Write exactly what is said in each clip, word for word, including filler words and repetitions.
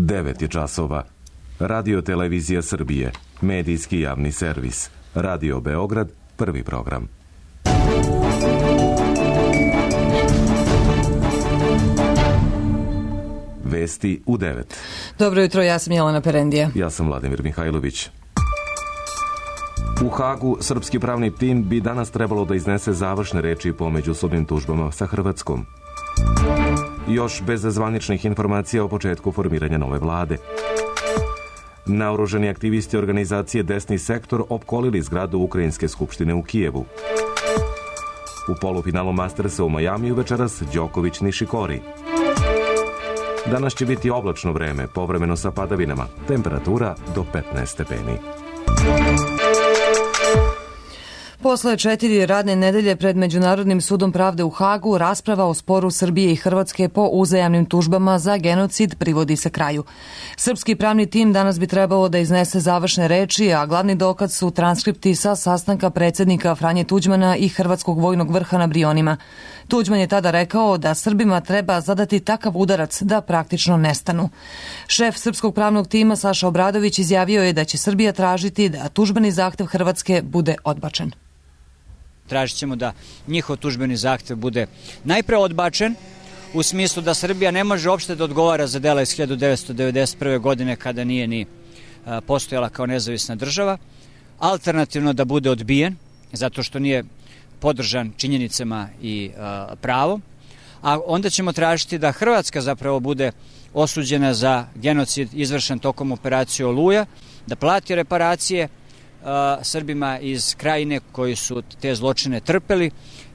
devet je časova. Radio Televizija Srbije, medijski javni servis. Radio Beograd, prvi program. Vesti u devet. Dobro jutro, ja sam Jelena Perendija. Ja sam Vladimir Mihajlović. U Hagu srpski pravni tim bi danas trebalo da iznese završne reči po međusobnim tužbama sa Hrvatskom. Još bez zvaničnih informacija o početku formiranja nove vlade. Naoružani aktivisti organizacije Desni sektor opkolili zgradu Ukrajinske skupštine u Kijevu. U polufinalu Mastersa u Majamiju večeras Đoković Nišikori. Danas će biti oblačno vreme, povremeno sa padavinama. Temperatura do petnaest stepeni. Posle četiri radne nedelje pred Međunarodnim sudom pravde u Hagu, rasprava o sporu Srbije i Hrvatske po uzajamnim tužbama za genocid privodi se kraju. Srpski pravni tim danas bi trebalo da iznese završne reči, a glavni dokaz su transkripti sa sastanka predsjednika Franje Tuđmana i hrvatskog vojnog vrha na Brionima. Tuđman je tada rekao da Srbima treba zadati takav udarac da praktično nestanu. Šef srpskog pravnog tima Saša Obradović izjavio je da će Srbija tražiti da tužbeni zahtev Hrvatske bude odbačen. Tražit ćemo da njihov tužbeni zahtev bude najpre odbačen, u smislu da Srbija ne može uopšte da odgovara za dela iz hiljadu devetsto devedeset prve. godine kada nije ni postojala kao nezavisna država, alternativno da bude odbijen zato što nije podržan činjenicama i a, pravom, a onda ćemo tražiti da Hrvatska zapravo bude osuđena za genocid izvršen tokom operacije Oluja, da plati reparacije Srbima iz Krajine koji su te zločine trpeli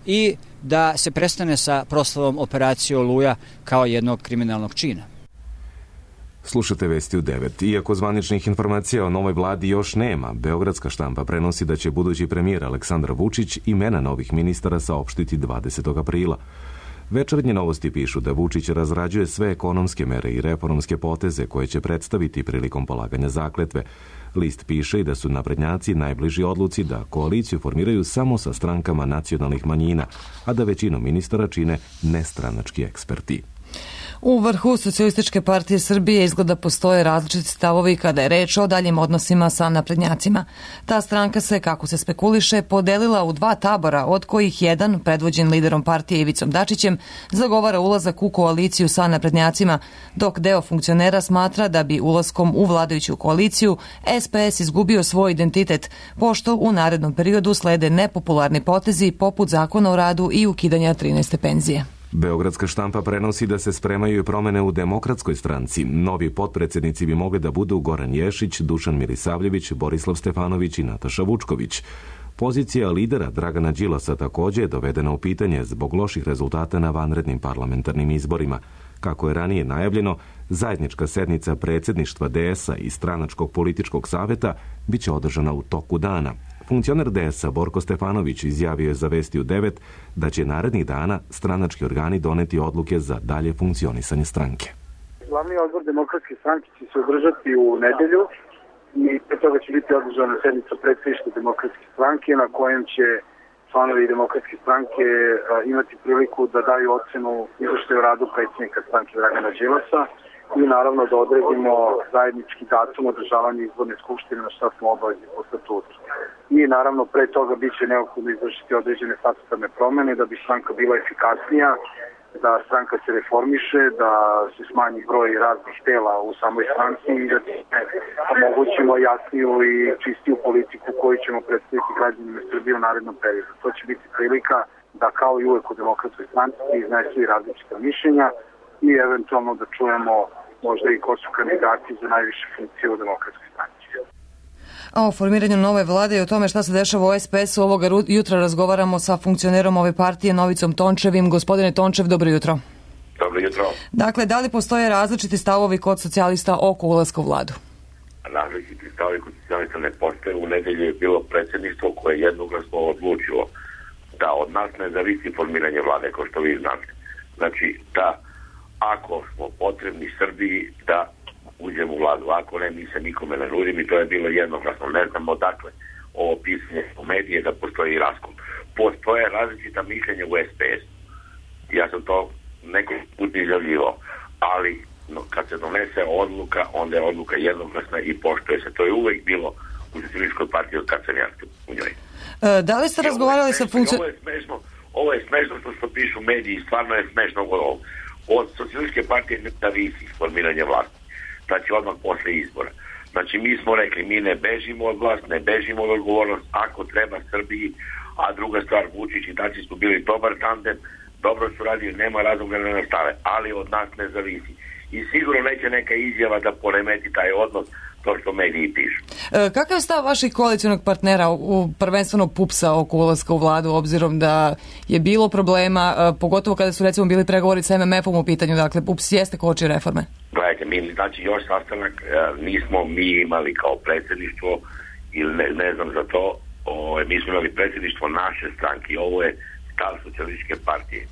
i da se prestane sa proslavom operacije Oluja kao jednog kriminalnog čina. Slušate vesti u devet. Iako zvaničnih informacija o novoj vladi još nema, beogradska štampa prenosi da će budući premijer Aleksandar Vučić imena novih ministara saopštiti dvadesetog aprila. Večernje novosti pišu da Vučić razrađuje sve ekonomske mere i reformske poteze koje će predstaviti prilikom polaganja zakletve. List piše i da su naprednjaci najbliži odluci da koaliciju formiraju samo sa strankama nacionalnih manjina, a da većinu ministara čine nestranački eksperti. U vrhu Socijalističke partije Srbije izgleda postoje različiti stavovi kada je reč o daljim odnosima sa naprednjacima. Ta stranka se, kako se spekuliše, podelila u dva tabora, od kojih jedan, predvođen liderom partije Ivicom Dačićem, zagovara ulazak u koaliciju sa naprednjacima, dok deo funkcionera smatra da bi ulaskom u vladajuću koaliciju S P S izgubio svoj identitet, pošto u narednom periodu slede nepopularni potezi poput zakona o radu i ukidanja trinaeste penzije. Beogradska štampa prenosi da se spremaju i promene u Demokratskoj stranci. Novi potpredsjednici bi mogli da budu Goran Ješić, Dušan Milisavljević, Borislav Stefanović i Nataša Vučković. Pozicija lidera Dragana Đilasa također je dovedena u pitanje zbog loših rezultata na vanrednim parlamentarnim izborima. Kako je ranije najavljeno, zajednička sednica predsjedništva D S-a i stranačkog političkog savjeta bit će održana u toku dana. Funkcioner D S-a Borko Stefanović izjavio je za Vesti u devet da će narednih dana stranački organi doneti odluke za dalje funkcionisanje stranke. Glavni odbor Demokratske stranke će se održati u nedelju i pre toga će biti održana sednica predsjedništva Demokratske stranke na kojem će članovi Demokratske stranke imati priliku da daju ocenu izveštaju o radu predsjednika stranke Dragana Đilasa i naravno da odredimo zajednički datum održavanja izborne skupštine na šta smo obavezni po statutu. I naravno pre toga bit će neophodno izvršiti određene statutarne promene da bi stranka bila efikasnija, da stranka se reformiše, da se smanji broj raznih tela u samoj stranci i da omogućimo jasniju i čistiju politiku koju ćemo predstaviti građanima Srbije u narednom periodu. To će biti prilika da kao i uvek u Demokratskoj stranci iznesu i različita mišljenja i eventualno da čujemo možda i ko su kandidati za najviše funkcije u Demokratskoj stranci. A o formiranju nove vlade i o tome šta se dešava u S P S-u ovoga jutra razgovaramo sa funkcionerom ove partije Novicom Tončevim. Gospodine Tončev, dobro jutro. Dobro jutro. Dakle, da li postoje različiti stavovi kod socijalista oko ulaska u vladu? Različiti stavovi kod socijalista ne postoje. U nedelju je bilo predsjedništvo koje je jednoglasno odlučilo da od nas ne zavisi formiranje vlade, kao što vi znate. Znači, da ako smo potrebni Srbiji, da uđemo u vladu. Ako ne, mi se nikome ne nudim i to je bilo jednoglasno. Ne znamo odakle ovo pisanje u medije da postoji raskol. Postoje različita mišljenja u S P S. Ja sam to neko put izjavljivao. Ali, no, kad se donese odluka, onda je odluka jednoglasna i poštuje se. To je uvek bilo u Socijalističkoj partiji od kad sam ja u njoj. E, da li ste razgovarali sa funkcijom... Ovo je smešno, ovo je smešno što, što pišu mediji, stvarno je smešno ovo. Od Socijalističke partije ne zavisi formiranje vlasti. Znači odmah posle izbora. Znači mi smo rekli, mi ne bežimo od vlast, ne bežimo od odgovornost, ako treba Srbiji, a druga stvar, Vučić i Dačić su bili dobar tandem, dobro su radili, nema razloga da ne nastave, ali od nas ne zavisi. I sigurno neće neka izjava da poremeti taj odnos, to što mediji pišu. E, kakav je stav vaših koalicionog partnera, u, prvenstveno PUPS-a oko ulaska u vladu, obzirom da je bilo problema, e, pogotovo kada su recimo bili pregovori sa M M F-om u pitanju, dakle PUPS jeste koči reforme? Gledajte, mi, znači još sastanak e, nismo mi imali kao predsjedništvo, ili ne, ne znam za to, o, mi smo imali predsjedništvo naše stranke i ovo je stav Socijalističke partije.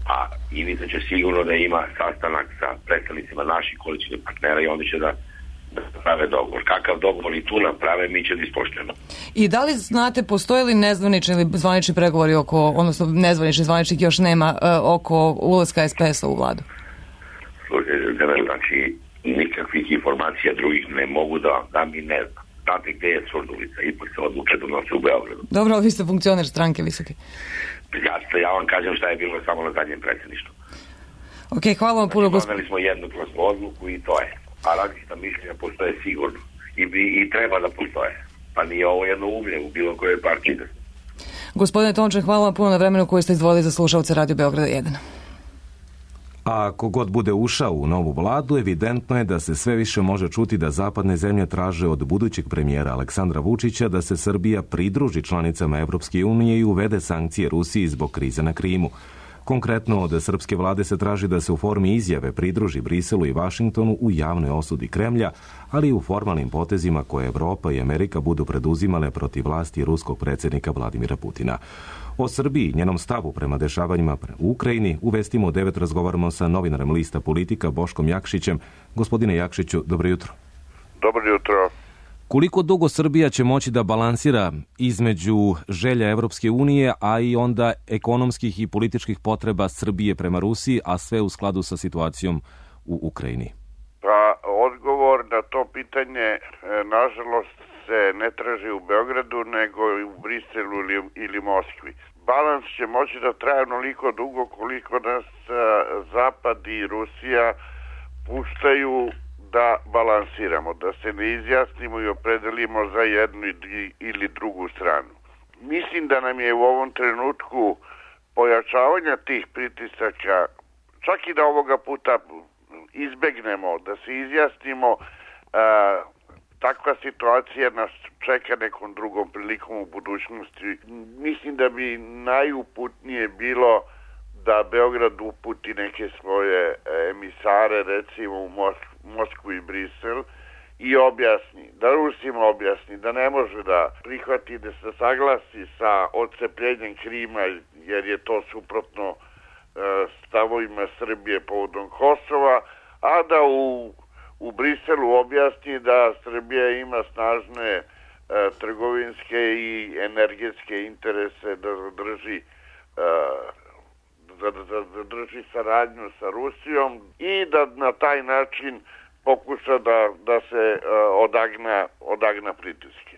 A Ivica će sigurno da ima sastanak sa predstavnicima naših koalicijnih partnera i oni će da, da prave dogovor. Kakav dogovor i tu naprave, mi će da ispoštujemo. I da li znate, postoje li nezvanični ili zvanični pregovori oko, odnosno nezvanični, zvaničnih još nema, oko ulaska S P S-a u vladu? Slušajte, znači nikakvih informacija drugih ne mogu da, da mi ne znam. Znate gde je Surdulica, ipak se odluče donose u Beogradu. Dobro, vi ste funkcioner stranke visoke. Ja, ja vam kažem šta je bilo samo na zadnjem predsjedništvu. Ok, hvala vam puno. Znači, doneli smo jednoglasnu odluku i to je. A različita mišljenja postoje sigurno. I, i, I treba da postoje. Pa nije ovo jedno umlje u bilo kojoj partiji. Gospodine Tončan, hvala vam puno na vremenu koje ste izdvojili za slušalce Radio Beograda jedan. A ako god bude ušao u novu vladu, evidentno je da se sve više može čuti da zapadne zemlje traže od budućeg premijera Aleksandra Vučića da se Srbija pridruži članicama Evropske unije i uvede sankcije Rusiji zbog krize na Krimu. Konkretno, od srpske vlade se traži da se u formi izjave pridruži Briselu i Vašingtonu u javnoj osudi Kremlja, ali i u formalnim potezima koje Evropa i Amerika budu preduzimale protiv vlasti ruskog predsjednika Vladimira Putina. O Srbiji, njenom stavu prema dešavanjima u Ukrajini, u Vestima u devet razgovaramo sa novinarem lista Politika Boškom Jakšićem. Gospodine Jakšiću, dobro jutro. Dobro jutro. Koliko dugo Srbija će moći da balansira između želja Evropske unije, a i onda ekonomskih i političkih potreba Srbije prema Rusiji, a sve u skladu sa situacijom u Ukrajini? Pa, odgovor na to pitanje, nažalost, se ne traži u Beogradu, nego i u Briselu ili, ili Moskvi. Balans će moći da traje onoliko dugo koliko nas Zapad i Rusija puštaju da balansiramo, da se ne izjasnimo i opredelimo za jednu ili drugu stranu. Mislim da nam je u ovom trenutku pojačavanja tih pritisaka, čak i da ovoga puta izbegnemo, da se izjasnimo, a, takva situacija nas čeka nekom drugom prilikom u budućnosti. Mislim da bi najuputnije bilo da Beograd uputi neke svoje emisare, recimo u Moskvu, Moskvu i Brisel, i objasni, da Rusima objasni da ne može da prihvati, da se saglasi sa odcepljenjem Krima, jer je to suprotno e, stavovima Srbije povodom Kosova, a da u, u Briselu objasni da Srbija ima snažne e, trgovinske i energetske interese da zadrži e, da, da, da drži saradnju sa Rusijom i da na taj način pokuša da, da se uh, odagna, odagna pritiske.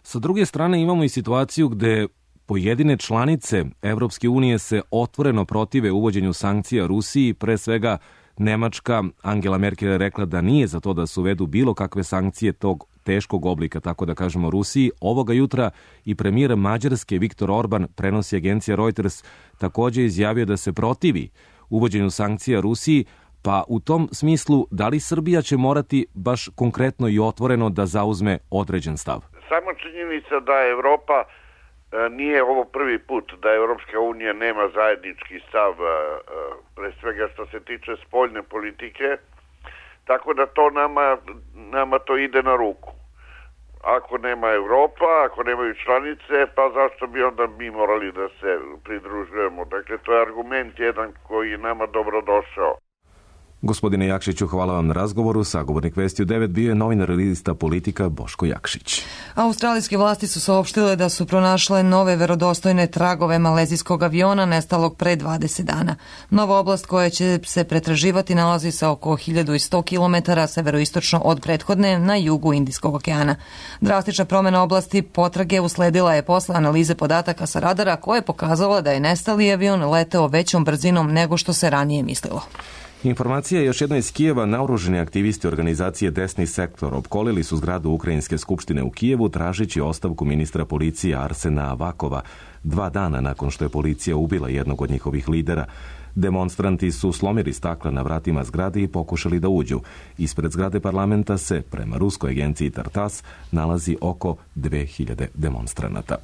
Sa druge strane imamo i situaciju gde pojedine članice Evropske unije se otvoreno protive uvođenju sankcija Rusiji, pre svega Nemačka. Angela Merkel je rekla da nije za to da se uvedu bilo kakve sankcije tog teškog oblika, tako da kažemo, Rusiji. Ovoga jutra i premijer Mađarske Viktor Orban, prenosi agencija Reuters, također izjavio da se protivi uvođenju sankcija Rusiji. Pa u tom smislu, da li Srbija će morati baš konkretno i otvoreno da zauzme određen stav? Samo činjenica da Evropa e, nije ovo prvi put, da Evropska unija nema zajednički stav, e, pre svega što se tiče spoljne politike, tako da to nama, nama to ide na ruku. Ako nema Evropa, ako nemaju članice, pa zašto bi onda mi morali da se pridružujemo? Dakle, to je argument jedan koji je nama dobro došao. Gospodine Jakšiću, hvala vam na razgovoru. Sagovornik Vesti u devet bio je novinar lista Politika Boško Jakšić. Australijske vlasti su saopštile da su pronašle nove verodostojne tragove malezijskog aviona nestalog pre dvadeset dana. Nova oblast koja će se pretraživati nalazi se oko hiljadu sto kilometara severoistočno od prethodne na jugu Indijskog okeana. Drastična promjena oblasti potrage usledila je posle analize podataka sa radara koja je pokazala da je nestali avion leteo većom brzinom nego što se ranije mislilo. Informacija još jedno iz Kijeva. Naoružani aktivisti organizacije Desni sektor opkolili su zgradu Ukrajinske skupštine u Kijevu tražeći ostavku ministra policije Arsena Avakova dva dana nakon što je policija ubila jednog od njihovih lidera. Demonstranti su slomili stakla na vratima zgrade i pokušali da uđu. Ispred zgrade parlamenta se, prema ruskoj agenciji Tartas, nalazi oko dve hiljade demonstranata.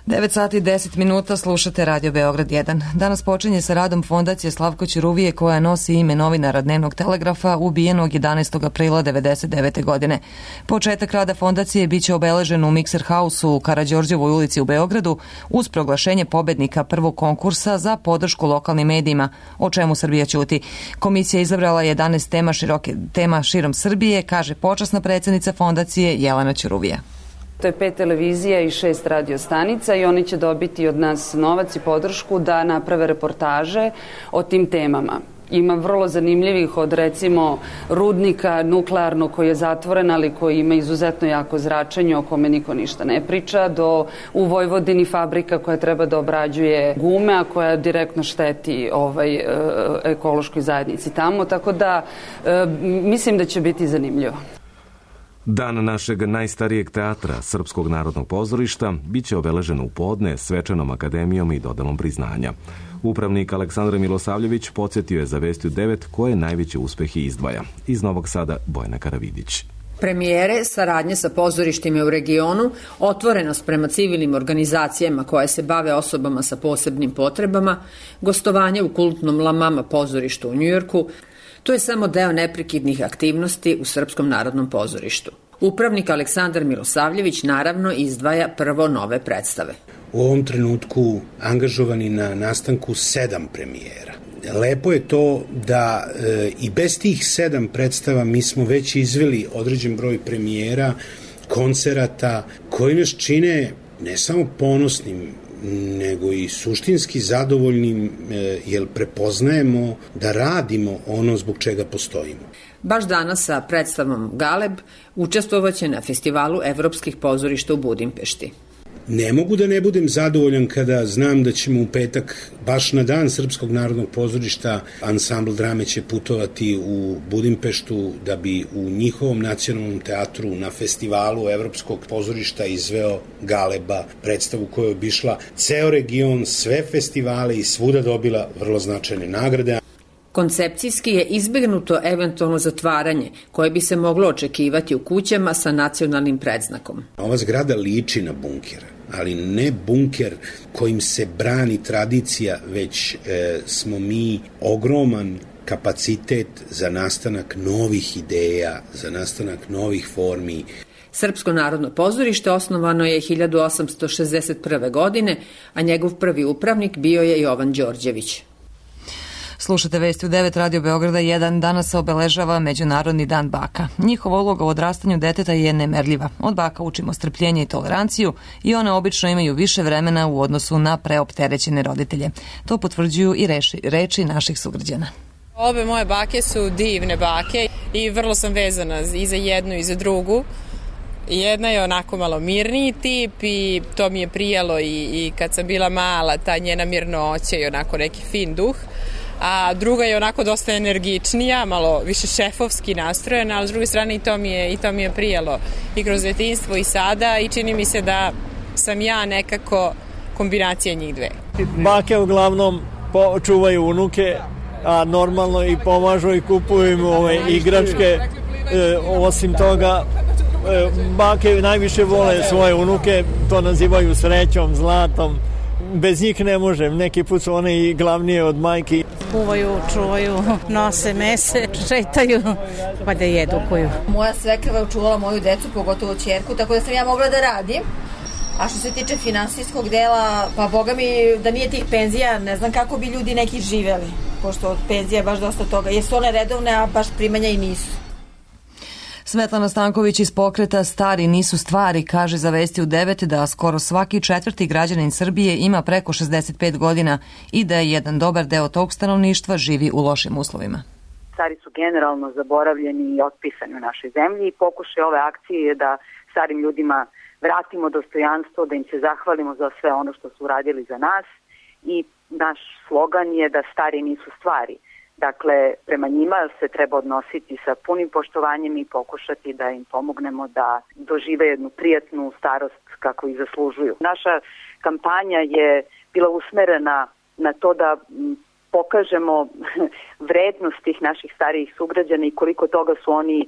devet sati i deset minuta, slušate Radio Beograd jedan. Danas počinje sa radom Fondacije Slavko Ćuruvije koja nosi ime novinara Dnevnog telegrafa ubijenog jedanaestog aprila devedeset devete. godine. Početak rada fondacije biće obeležen u Mikser Hausu u Karađorđevoj ulici u Beogradu uz proglašenje pobednika prvog konkursa za podršku lokalnim medijima, o čemu Srbija ćuti. Komisija izabrala jedanaest tema, široke, tema širom Srbije, kaže počasna predsjednica fondacije Jelena Ćuruvija. To je pet televizija i šest radio stanica i oni će dobiti od nas novac i podršku da naprave reportaže o tim temama. Ima vrlo zanimljivih od recimo rudnika nuklearnog koji je zatvoren, ali koji ima izuzetno jako zračenje o kome niko ništa ne priča, do u Vojvodini fabrika koja treba da obrađuje gume, a koja direktno šteti ovaj, ekološkoj zajednici tamo. Tako da mislim da će biti zanimljivo. Dan našeg najstarijeg teatra, Srpskog narodnog pozorišta, bit će obeležen u podne svečanom akademijom i dodelom priznanja. Upravnik Aleksandar Milosavljević podsjetio je za Vesti u devet koje najveće uspehe izdvaja. Iz Novog Sada Bojana Karavidić. Premijere, saradnje sa pozorištima u regionu, otvorenost prema civilnim organizacijama koje se bave osobama sa posebnim potrebama, gostovanje u kultnom La Mama pozorištu u Njujorku, to je samo deo neprekidnih aktivnosti u Srpskom narodnom pozorištu. Upravnik Aleksandar Milosavljević naravno izdvaja prvo nove predstave. U ovom trenutku angažovani na nastanku sedam premijera. Lepo je to da e, i bez tih sedam predstava mi smo već izveli određen broj premijera, koncerata koji nas čine ne samo ponosnim, nego i suštinski zadovoljnim, jer prepoznajemo da radimo ono zbog čega postojimo. Baš danas sa predstavom Galeb učestvovaće na festivalu evropskih pozorišta u Budimpešti. Ne mogu da ne budem zadovoljan kada znam da ćemo u petak, baš na dan Srpskog narodnog pozorišta, ansambl drame će putovati u Budimpeštu da bi u njihovom nacionalnom teatru na festivalu Evropskog pozorišta izveo Galeba, predstavu koja je obišla ceo region, sve festivale i svuda dobila vrlo značajne nagrade. Koncepcijski je izbegnuto eventualno zatvaranje koje bi se moglo očekivati u kućama sa nacionalnim predznakom. Ova zgrada liči na bunker, ali ne bunker kojim se brani tradicija, već e, smo mi ogroman kapacitet za nastanak novih ideja, za nastanak novih formi. Srpsko narodno pozorište osnovano je hiljadu osamsto šezdeset prve. godine, a njegov prvi upravnik bio je Jovan Đorđević. Slušate Vesti u devet Radio Beograda jedan. Danas se obeležava Međunarodni dan baka. Njihova uloga u odrastanju deteta je nemerljiva. Od baka učimo strpljenje i toleranciju i one obično imaju više vremena u odnosu na preopterećene roditelje. To potvrđuju i reči, reči naših sugrađana. Obe moje bake su divne bake i vrlo sam vezana i za jednu i za drugu. Jedna je onako malo mirniji tip i to mi je prijelo i, i kad sam bila mala, ta njena mirnoća i onako neki fin duh. A druga je onako dosta energičnija, malo više šefovski nastrojena, ali s druge strane i to mi je, i to mi je prijelo i kroz detinjstvo i sada i čini mi se da sam ja nekako kombinacija njih dve. Bake uglavnom čuvaju unuke, a normalno i pomažu i kupuju im ove igračke. E, osim toga, e, bake najviše vole svoje unuke, to nazivaju srećom, zlatom. Bez njih ne možem, neki put su one i glavnije od majke. Kuvaju, čuvaju, nose mese, šetaju, pa da jedu koju. Moja svekrva je učuvala moju decu, pogotovo ćerku, tako da sam ja mogla da radim. A što se tiče finansijskog dela, pa boga mi da nije tih penzija, ne znam kako bi ljudi neki živeli, pošto od penzija je baš dosta toga. Jesu one redovne, a baš primanja i nisu. Svetlana Stanković iz pokreta Stari nisu stvari kaže za Vesti u devet da skoro svaki četvrti građanin Srbije ima preko šezdeset pet godina i da je jedan dobar deo tog stanovništva živi u lošim uslovima. Stari su generalno zaboravljeni i otpisani u našoj zemlji i pokušaj ove akcije je da starim ljudima vratimo dostojanstvo, da im se zahvalimo za sve ono što su uradili za nas i naš slogan je da stari nisu stvari. Dakle, prema njima se treba odnositi sa punim poštovanjem i pokušati da im pomognemo da dožive jednu prijatnu starost kako ih zaslužuju. Naša kampanja je bila usmerena na to da pokažemo vrednost tih naših starijih sugrađana i koliko toga su oni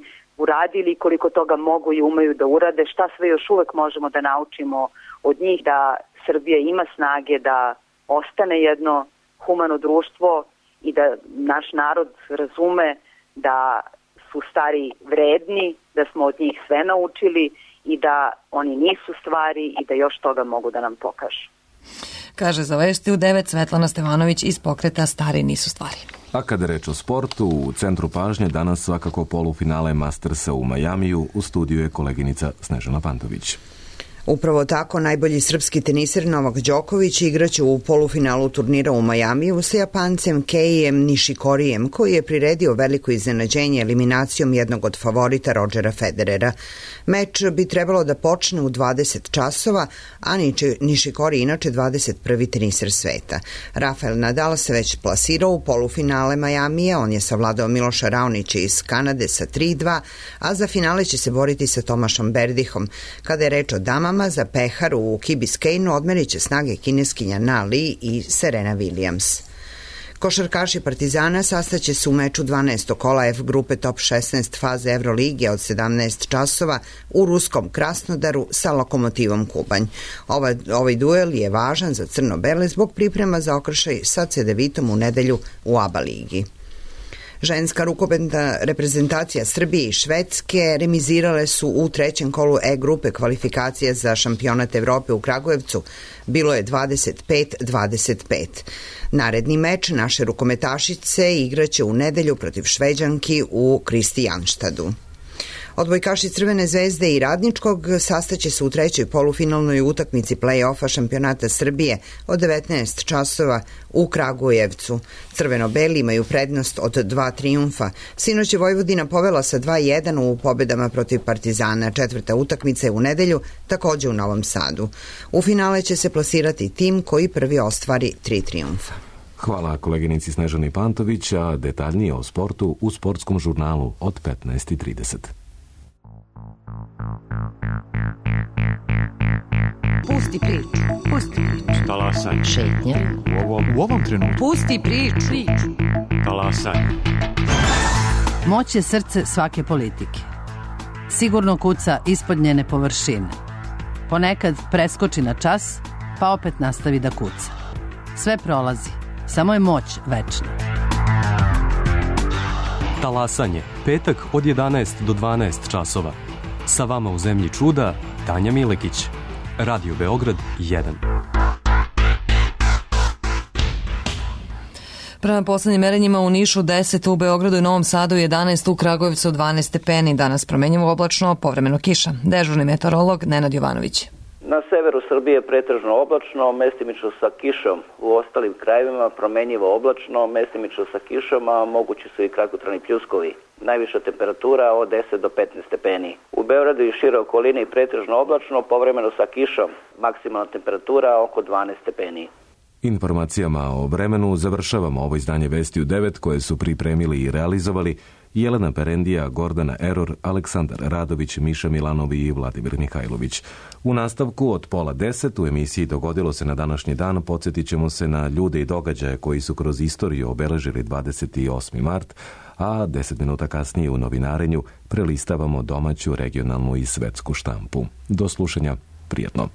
uradili, koliko toga mogu i umeju da urade, šta sve još uvek možemo da naučimo od njih, da Srbija ima snage da ostane jedno humano društvo i da naš narod razume da su stari vredni, da smo od njih sve naučili i da oni nisu stvari i da još toga mogu da nam pokažu. Kaže za Vesti u devet Svetlana Stevanović iz pokreta Stari nisu stvari. A kada reč o sportu, u centru pažnje danas svakako polufinale Mastersa u Majamiju, u studiju je koleginica Snežana Pantović. Upravo tako, najbolji srpski teniser Novak Đoković igraće u polufinalu turnira u Majamiju sa Japancem Keijem Nishikorijem, koji je priredio veliko iznenađenje eliminacijom jednog od favorita Rodgera Federera. Meč bi trebalo da počne u dvadeset časova, a Nishikori inače dvadeset prvi teniser sveta. Rafael Nadal se već plasirao u polufinale Majamije, on je savladao Miloša Raonića iz Kanade sa tri dva, a za finale će se boriti sa Tomašom Berdihom. Kada je reč o damama, za Peharu u Key Biscaynu odmerit će snage kineskinja Na Li i Serena Williams. Košarkaši Partizana sastaće se u meču dvanaestog kola F grupe top šesnaest faze Evrolige od sedamnaest časova u ruskom Krasnodaru sa Lokomotivom Kubanj. Ovaj, ovaj duel je važan za crno-bele zbog priprema za okršaj sa Cedevitom u nedelju u A B A ligi. Ženska rukometna reprezentacija Srbije i Švedske remizirale su u trećem kolu E grupe kvalifikacije za šampionat Evrope u Kragujevcu. Bilo je dvadeset pet dvadeset pet. Naredni meč naše rukometašice igraće u nedelju protiv Šveđanki u Kristijanštadu. Odbojkaši Crvene zvezde i Radničkog sastaće se u trećoj polufinalnoj utakmici play-offa šampionata Srbije od devetnaest časova u Kragujevcu. Crveno-beli imaju prednost od dva trijumfa. Sinoć je Vojvodina povela sa dva jedan u pobedama protiv Partizana. Četvrta utakmica je u nedelju, takođe u Novom Sadu. U finale će se plasirati tim koji prvi ostvari tri trijumfa. Hvala koleginici Snežani Pantović, a detaljnije o sportu u sportskom žurnalu od petnaest i trideset. Pusti priču. Pusti priču. Talasaj. Šetnja. U ovom, u ovom trenutku. Pusti priču. priču. Talasaj. Moć je srce svake politike. Sigurno kuca ispod njene površine. Ponekad preskoči na čas, pa opet nastavi da kuca. Sve prolazi, samo je moć večna. Talasanje, petak od jedanaest do dvanaest časova. Sa vama u Zemlji čuda, Tanja Milekić. Radio Beograd jedan. Prema poslednjim merenjima u Nišu deset, u Beogradu i Novom Sadu jedanaest, u Kragujevcu dvanaest stepeni. Danas promenjivo oblačno, povremeno kiša. Dežurni meteorolog Nenad Jovanović. Na severu Srbije pretežno oblačno, mestimično sa kišom. U ostalim krajevima promenjivo oblačno, mestimično sa kišom, a mogući su i kratkotrajni pljuskovi. Najviša temperatura od deset do petnaest stepeni. U Beogradu i šire okolini pretežno oblačno, povremeno sa kišom. Maksimalna temperatura oko dvanaest stepeni. Informacijama o vremenu završavamo ovo izdanje Vesti u devet koje su pripremili i realizovali Jelena Perendija, Gordana Eror, Aleksandar Radović, Miša Milanovi i Vladimir Mihajlović. U nastavku od pola deset u emisiji Dogodilo se na današnji dan podsjetit ćemo se na ljude i događaje koji su kroz istoriju obeležili dvadeset osmi mart, a deset minuta kasnije u novinarenju prelistavamo domaću, regionalnu i svetsku štampu. Do slušanja, prijatno.